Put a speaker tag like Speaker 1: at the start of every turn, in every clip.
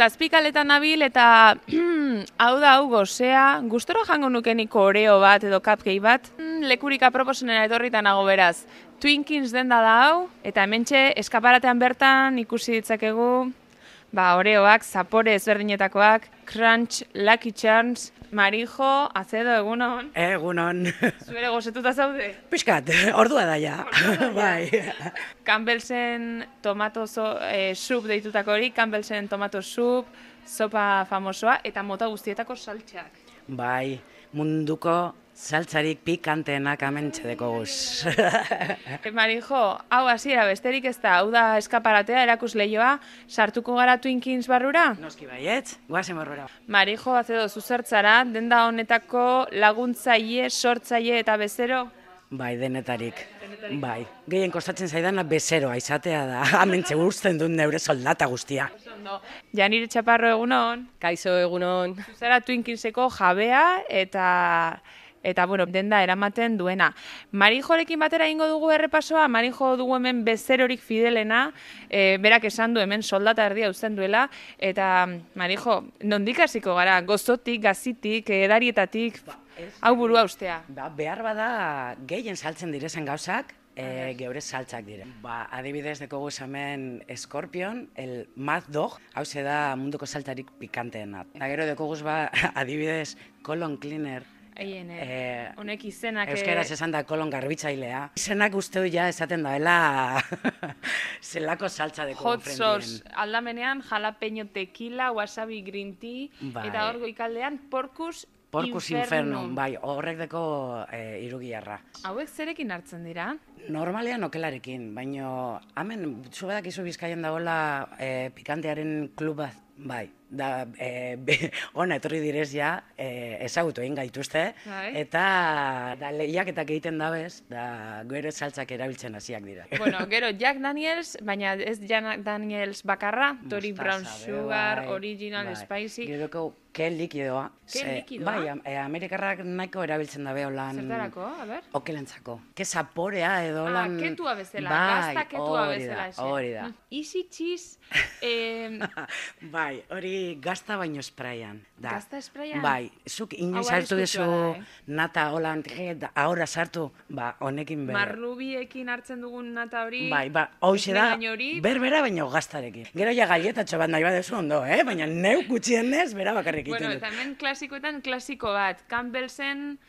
Speaker 1: Zazpikaletan nabil eta hau da hau gozea, gustora jango nukeniko oreo bat edo cupcake bat, lekurik aproposenera etorritan nago beraz. Twinkins denda da hau, eta hementxe eskaparatean bertan ikusi ditzakegu oreoak, zapore ezberdinetakoak, Crunch, Lucky Charms, Marijo, Azedo, egunon.
Speaker 2: Egunon.
Speaker 1: Zuere gozetuta zaude?
Speaker 2: Piskat, ordua da ja. Bai.
Speaker 1: Campbellsen tomato soup deitutako hori, Campbellsen tomato soup, sopa famosoa, eta mota guztietako saltxak.
Speaker 2: Bai, munduko saltzarik pikanteenak amentxedeko guz.
Speaker 1: Marijo, hau hasiera besterik ez da, hau da eskaparatea, erakusleioa, sartuko gara Twinkins barrura?
Speaker 2: Noski baietz, guazen barrura.
Speaker 1: Marijo, Azedo, zuzertzara, denda honetako laguntzaile, sortzaile eta bezero?
Speaker 2: Bai, denetarik. Bai, gehien kostatzen zaidana bezeroa izatea da, amentxe guztien dut neure soldata guztia.
Speaker 1: Janire Txaparro, egunon.
Speaker 3: Kaixo, egunon.
Speaker 1: Zuzera Twinkinseko jabea eta bueno, denda eramaten duena. Marijorekin batera ingo dugu errepasoa, Marijo dugu hemen bezerorik fidelena, berak esan du hemen soldata erdia uzten duela, eta Marijo, nondik hasiko gara, gozotik, gazitik, edarietatik, hau burua ustea.
Speaker 2: Behar bada gehien saltzen direzen gauzak, geure saltzak dire. Adibidez dekogu hemen Scorpion, el Mad Dog, hau da munduko saltarik pikanteena. Gero dekogu adibidez Colon Cleaner,
Speaker 1: honek izenak...
Speaker 2: Euskaraz esan da kolon garbitzailea. Izenak uste du ja esaten daela zelako saltza deko
Speaker 1: Hot sauce aldamenean, jalapeño tequila, wasabi green tea, eta hor goikaldean Porcus Infernum.
Speaker 2: Bai, horrek deko irugiarra.
Speaker 1: Hauek zerekin hartzen dira?
Speaker 2: Normalean okelarekin, baina hemen zubadak izu Bizkaian dagoela pikantearen klub bat, bai. Da, ona etorri direz ja, ezagutu egin gaituzte, eta lehiaketak egiten dabez, da gure saltzak erabiltzen hasiak dira.
Speaker 1: Bueno, gero Jack Daniels, baina ez Jack Daniels bakarra, Tory Brown Sugar, Original Spicy.
Speaker 2: Gero ke likidoa.
Speaker 1: Ke likidoa?
Speaker 2: Bai, Amerikarrak nahiko erabiltzen dabe holan...
Speaker 1: Zertarako, a ber?
Speaker 2: Okelentzako. Ke zaporea edo holan...
Speaker 1: ketua bezala, gazta ketua bezala.
Speaker 2: Hori da.
Speaker 1: Easy cheese...
Speaker 2: Bai, hori gazta baino sprayan.
Speaker 1: Gazta sprayan?
Speaker 2: Bai, zuk inoiz hartu dezu nata holan, ahora sartu, honekin bere.
Speaker 1: Marrubiekin hartzen dugun nata hori...
Speaker 2: Bai, hoxe da, berbera baino gaztarekin. Gero ja galletatxo bat nahi badezu ondo, baina neu gutxienez, bera bakarrik iten dut.
Speaker 1: Bueno, eta hemen klasikoetan klasiko bat, Campbellsen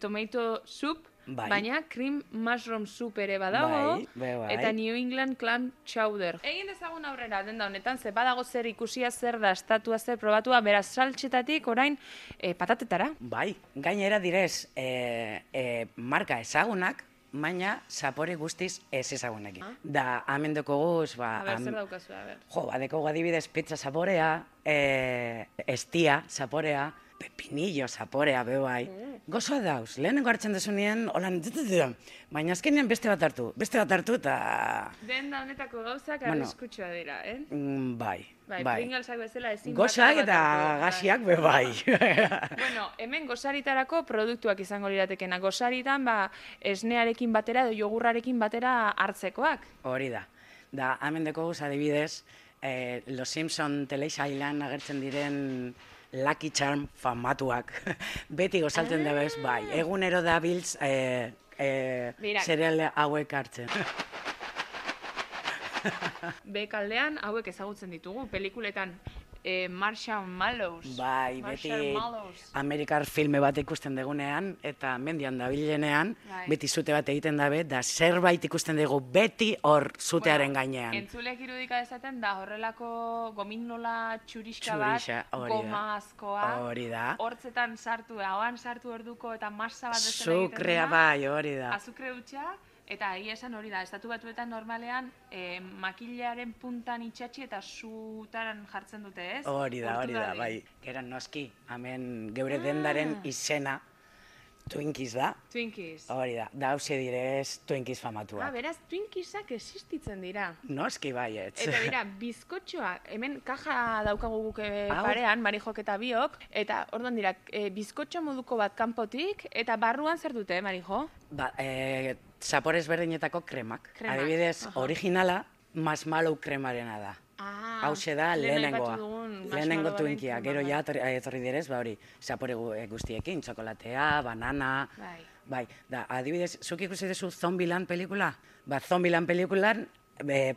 Speaker 1: tomato soup, baina cream mushroom soup ere badago, eta New England clam chowder. Egin dezagun aurrera, denda honetan, ze badago zer ikusia, zer da, estatua, zer probatua, beraz saltxetatik orain patatetara.
Speaker 2: Bai, gainera direz, marka ezagunak, baina zapore guztiz ez ezagunekin. Da, hemen dekoguz,
Speaker 1: A ber, zer daukazu, a ber.
Speaker 2: Dekogu adibidez pizza zaporea, estia zaporea, pepinillo zaporea, bai. Gozoa dauz, lehenengo hartzen desunien, holan, baina azkenean beste bat hartu, eta...
Speaker 1: Denda honetako gauzak arriskutsua dira,
Speaker 2: Bai.
Speaker 1: Pringlsak bezala ezin bat.
Speaker 2: Gozak eta gaziak, bai.
Speaker 1: Bueno, hemen gozaritarako produktuak izango liratekena. Gozaritan, esnearekin batera edo jogurrarekin batera hartzekoak.
Speaker 2: Hori da. Da, hemen dekoguz adibidez, Los Simpson telesailan agertzen diren Lucky Charm famatuak. Beti gozaltzen dabez, bai. Egunero dabiltz zereal hauek hartzen.
Speaker 1: Bekaldean hauek ezagutzen ditugu, pelikuletan Marshall Mallows.
Speaker 2: Bai, beti Amerikar filme bat ikusten degunean, eta mendian dabilenean, beti zute bat egiten dabe, da zerbait ikusten dugu beti hor zutearen gainean.
Speaker 1: Entzulek irudika dezaten da horrelako gominola txuriska bat, goma askoa, hortzetan sartu, ahoan sartu orduko eta masa bat bezala egiten dena.
Speaker 2: Zukrea bai, hori da.
Speaker 1: Azukre hutsa, eta egia esan hori da, estatu batuetan normalean makilearen puntan itxatxi eta zutaran jartzen dute, ez?
Speaker 2: Hori da, bai. Geran noski, hemen geure dendaren izena Twinkies da.
Speaker 1: Twinkies.
Speaker 2: Hori da, da hauze direz Twinkies famatuak.
Speaker 1: Beraz, Twinkiesak existitzen dira.
Speaker 2: Noski baietz.
Speaker 1: Eta dira, bizkotxoa, hemen kaja daukagu guke parean, Marijok eta biok, eta orduan dira, bizkotxo moduko bat kanpotik, eta barruan zer dute, Marijo?
Speaker 2: Zapore ezberdinetako kremak. Adibidez, originala, marshmallow kremarena da. Hauxe da lehenengoa. Lehenengo Twinkia, gero
Speaker 1: bai.
Speaker 2: ja etorri direz, ba hori, zapore guztiekin, txokolatea, banana, bai. Da, adibidez, zuk ikusi duzu Zombieland pelikula? Ba, Zombieland pelikulan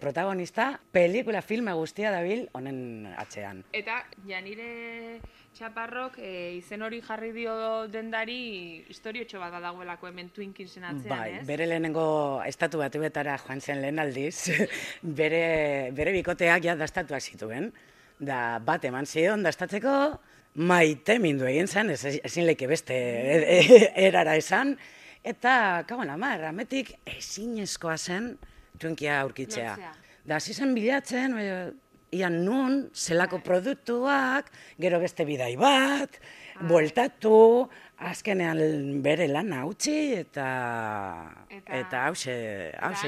Speaker 2: protagonista, pelikula filma guztia dabil honen atzean.
Speaker 1: Eta Janire Txaparrok izen hori jarri dio dendari historiotxo bat badagoelako hemen Twinkinsen atzean,
Speaker 2: Bai,
Speaker 1: ez?
Speaker 2: bere lehenengo estatu batuetara joan zen lehen aldiz, bere bikoteak ja dastatuak zituen. Da bat eman zion dastatzeko, maite mindu egin zen, ezin leke beste erara esan, eta, kagoen amar, ametik ezinezkoa zen Twinkia aurkitzea. Da, hasi zen bilatzen, ian nun, zelako produktuak, gero beste bidai bat, bueltatu, azkenean bere lana utzi eta hause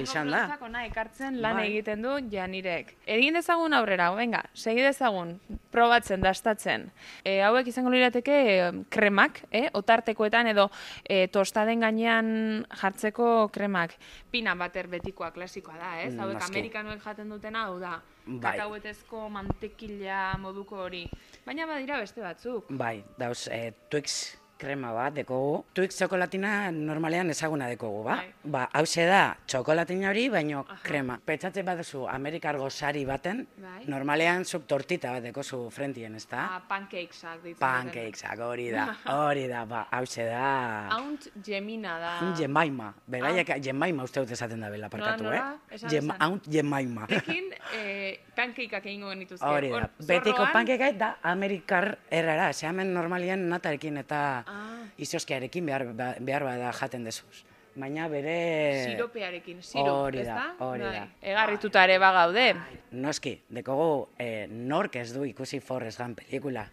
Speaker 2: izan da.
Speaker 1: Hango ona ekartzen lan egiten du Janirek. Egin dezagun aurrera, venga, segi dezagun, probatzen, dastatzen. Hauek izango lirateke kremak, otartekoetan edo tostaden gainean jartzeko kremak. Peanut butter betikoa, klasikoa da, ez? Hauek amerikanoek jaten dutena, hau da. Kakahuetezko mantekila moduko hori. Baina badira beste batzuk.
Speaker 2: Bai, dauz, Twix krema bat dekogu. Twix txokolatina normalean ezaguna dekogu, ba? Ba, hause da, txokolatina hori, baino krema. Petxatze bat duzu Amerikar gozari baten, normalean zuk tortita bat dekozu frentien, ez da?
Speaker 1: Pancakesak ditzen.
Speaker 2: Pancakesak, hori da, ba, hause da...
Speaker 1: Aunt Jemina da.
Speaker 2: Aunt Jemima, beraiek Jemima uste dut esaten da bela parkatu, Aunt Jemima.
Speaker 1: Ekin, pancakeak egingo genituzke.
Speaker 2: Hori da, betiko pancakeak da Amerikar errara, ze hemen normalian natarekin eta izoskearekin behar bada jaten dezuz. Baina bere...
Speaker 1: Siropearekin, sirop, ez da?
Speaker 2: Hori da.
Speaker 1: Egarrituta ere bagaude.
Speaker 2: Noski, dekogu nork ez du ikusi Forrest Gump pelikula.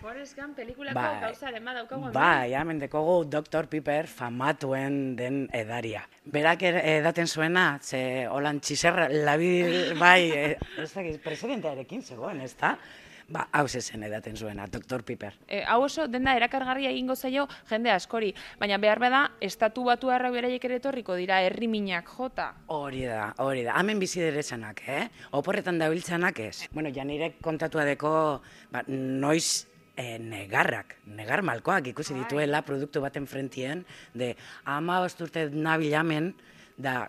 Speaker 1: Forrest Gump pelikulako gauzaren badaukagu.
Speaker 2: Bai, hemen dekogu Dr. Pepper famatuen den edaria. Berak edaten zuena, ze holan txizerra, labil, bai, ez dakit, presidentearekin zegoen, ez da? Ba, hau zen edaten zuena, Dr. Pepper.
Speaker 1: Hau oso denda erakargarria egingo zaio jende askori, baina behar bada, estatu batu harra beraiek ere etorriko dira, herriminak jota.
Speaker 2: Hori da. Hemen bizi derezanak, oporretan dabiltzanak ez. Bueno, Janirek kontatua deko, noiz negar malkoak ikusi dituela produktu baten frentien, de 15 urte nabilamen, da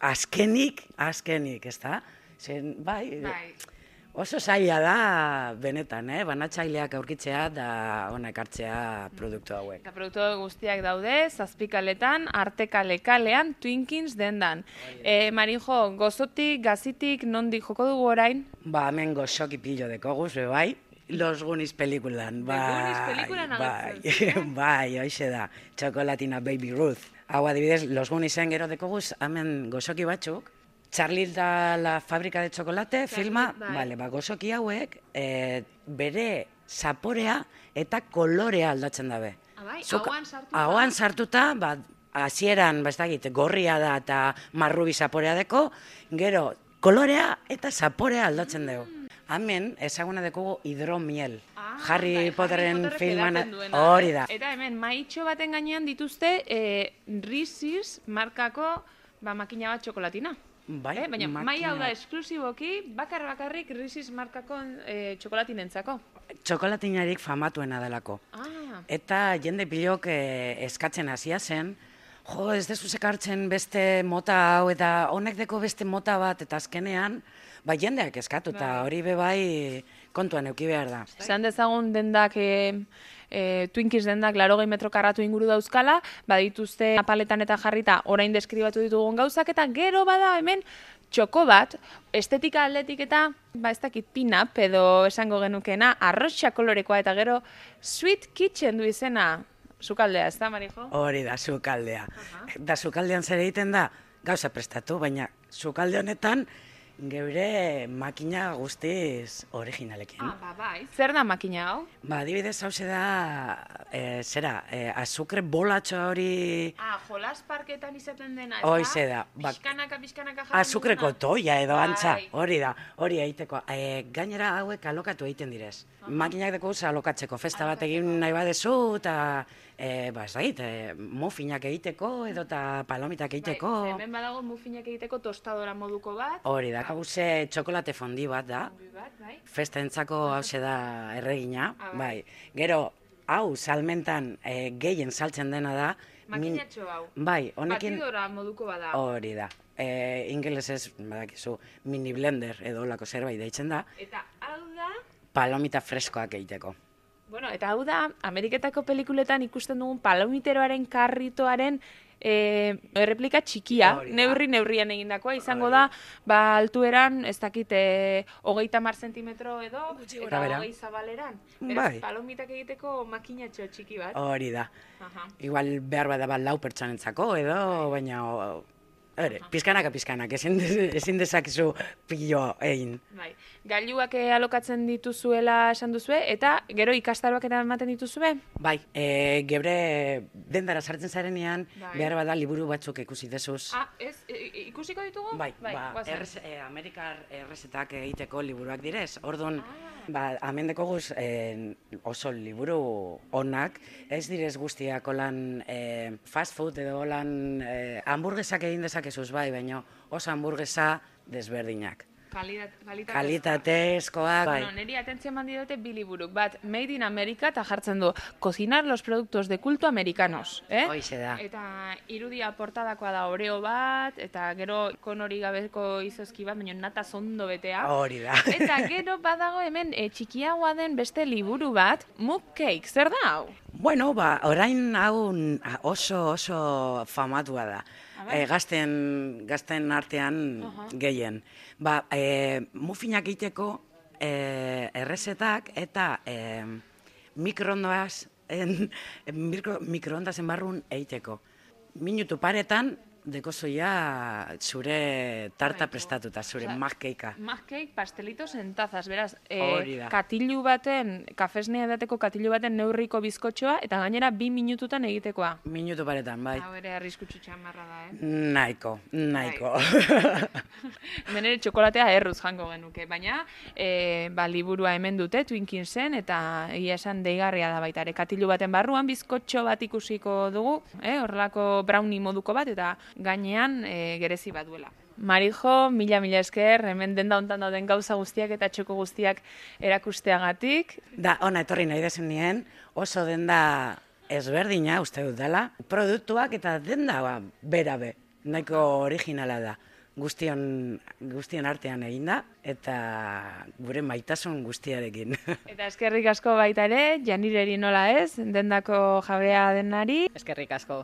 Speaker 2: azkenik, ez da? Zen, bai... Oso zaila da, benetan, banatzaileak aurkitzea da hona ekartzea produktu hauek.
Speaker 1: Eta produktu guztiak daude, zazpikaletan, artekalekalean, Twinkins dendan. Marijo, gozotik, gazitik, nondik joko dugu orain?
Speaker 2: Ba, hemen gozoki pillo dekoguz, bai. Los Goonies pelikulan, bai.
Speaker 1: Los Goonies pelikulan agertzen.
Speaker 2: Bai, hoxe da, txokolatina Baby Ruth. Hau adibidez, Los Gooniesen gero dekoguz, hemen gozoki batzuk, Charlie da la fábrica de chocolate, filma, gozoki hauek, bere zaporea eta kolorea aldatzen dabe. Hauan sartuta, hasieran, gorria da eta marrubi zaporea deko, gero kolorea eta zaporea aldatzen dugu. Hemen, ezaguna dekogu hidromiel. Harry Potteren filman hori da.
Speaker 1: Eta hemen, maitxo baten gainean dituzte Reese's markako makina bat txokolatina. Baina mai hau da esklusiboki bakarrik Reese's markako txokolatinentzako.
Speaker 2: Txokolatinarik famatuena delako. Eta jende pilok eskatzen hasia zen, jo, ez dezu sekartzen beste mota hau eta honek deko beste mota bat eta azkenean, jendeak eskatu eta hori bebai kontuan euki behar da.
Speaker 1: Esan dezagun dendak... Twinkies dendak 80 metro karratu inguru dauzkala, badituzte paletan eta jarrita orain deskribatu ditugun gauzak, eta gero bada hemen txoko bat, estetika aldetik eta, ez dakit pinap edo esango genukena, arrotxa kolorekoa eta gero Sweet Kitchen du izena, sukaldea, ez da, Marijo?
Speaker 2: Hori da, sukaldea. Da sukaldean zer egiten da, gauza prestatu, baina sukalde honetan, geure makina guztiz originalekin.
Speaker 1: Bai. Zer da makina hau?
Speaker 2: Adibidez hause da, azukre bolatxo hori...
Speaker 1: Jolas parketan izaten dena, ez da?
Speaker 2: Hoize da.
Speaker 1: Bizkanaka jarri.
Speaker 2: Azukreko toia edo antza, hori da, hori egiteko. Gainera hauek alokatu egiten direz. Makinak deko alokatzeko, festa bat egin nahi badezu, eta... muffinak egiteko edo eta palomitak egiteko.
Speaker 1: Hemen badago muffinak egiteko tostadora moduko bat.
Speaker 2: Hori da, da. Hauze txokolate fondi bat da, festentzako hauze da erregina, bai. Gero, hau salmentan gehien saltzen dena da.
Speaker 1: Makinatxo hau.
Speaker 2: Bai, honekin...
Speaker 1: Batidora moduko bada.
Speaker 2: Hori da. Ingelesez, badakizu, mini blender edo lako zerbait deitzen da.
Speaker 1: Eta hau da...
Speaker 2: Palomita freskoak egiteko.
Speaker 1: Bueno, eta hau da, Ameriketako pelikuletan ikusten dugun palomiteroaren karritoaren erreplika txikia, neurrian egindakoa, izango da, altueran, ez dakit, 30 zentimetro edo, eta 20 zabaleran. Beraz, palomitak egiteko makinatxo txiki bat.
Speaker 2: Hori da. Igual behar bada bat 4 pertsonentzako edo, baina... Pizkanaka, ezin dezakezu pilo egin.
Speaker 1: Gailuak alokatzen dituzuela esan duzue, eta gero ikastaroak eta ematen dituzue?
Speaker 2: Bai, gebre dendara sartzen zarenean, behar bada liburu batzuk ikusi dezuz.
Speaker 1: Ikusiko ditugu?
Speaker 2: Bai, Amerikar errezetak egiteko liburuak direz. Orduan, hemen dekoguz oso liburu onak, ez direz guztiak olan fast food edo olan hamburguesak egin dezakezuz bai, baina oso hamburguesa desberdinak. Kalitatezkoak.
Speaker 1: Bueno, niri atentzio eman diote bi liburuk. Bat, Made in America, eta jartzen du, cocinar los productos de culto americanos.
Speaker 2: Hoize da.
Speaker 1: Eta irudia portadakoa da oreo bat, eta gero konori gabeko izozki bat, baina nata zondo betea.
Speaker 2: Hori da.
Speaker 1: Eta gero badago hemen txikiagoa den beste liburu bat, Mug Cake, zer da hau?
Speaker 2: Bueno, orain hau oso famatua da. Gazten artean gehien. Muffinak egiteko errezetak eta mikroondasen barrun egiteko. Minutu paretan dekozoia zure tarta prestatuta, zure mug cakea.
Speaker 1: Mug cake, pastelitos en tazas, beraz,
Speaker 2: katilu
Speaker 1: baten, kafesnea edateko katilu baten neurriko bizkotxoa, eta gainera 2 minututan egitekoa.
Speaker 2: Minutu paretan, bai.
Speaker 1: Hau ere arriskutsu txamarra da,
Speaker 2: Nahiko.
Speaker 1: Hemen ere txokolatea erruz jango genuke, baina liburua hemen dute, Twinkinsen, eta egia esan deigarria da baita ere. Katilu baten barruan bizkotxo bat ikusiko dugu, horrelako brownie moduko bat, eta gainean gerezi bat duela. Marijo, mila esker, hemen denda hontan dauden gauza guztiak eta txoko guztiak erakusteagatik.
Speaker 2: Ona etorri nahi dezen nien, oso denda ezberdina, uste dut dela, produktuak eta denda berabe, nahiko originala da. Guztion artean eginda, eta gure maitasun guztiarekin.
Speaker 1: Eta eskerrik asko baita ere, Janireri nola ez, dendako jabea denari.
Speaker 3: Eskerrik asko.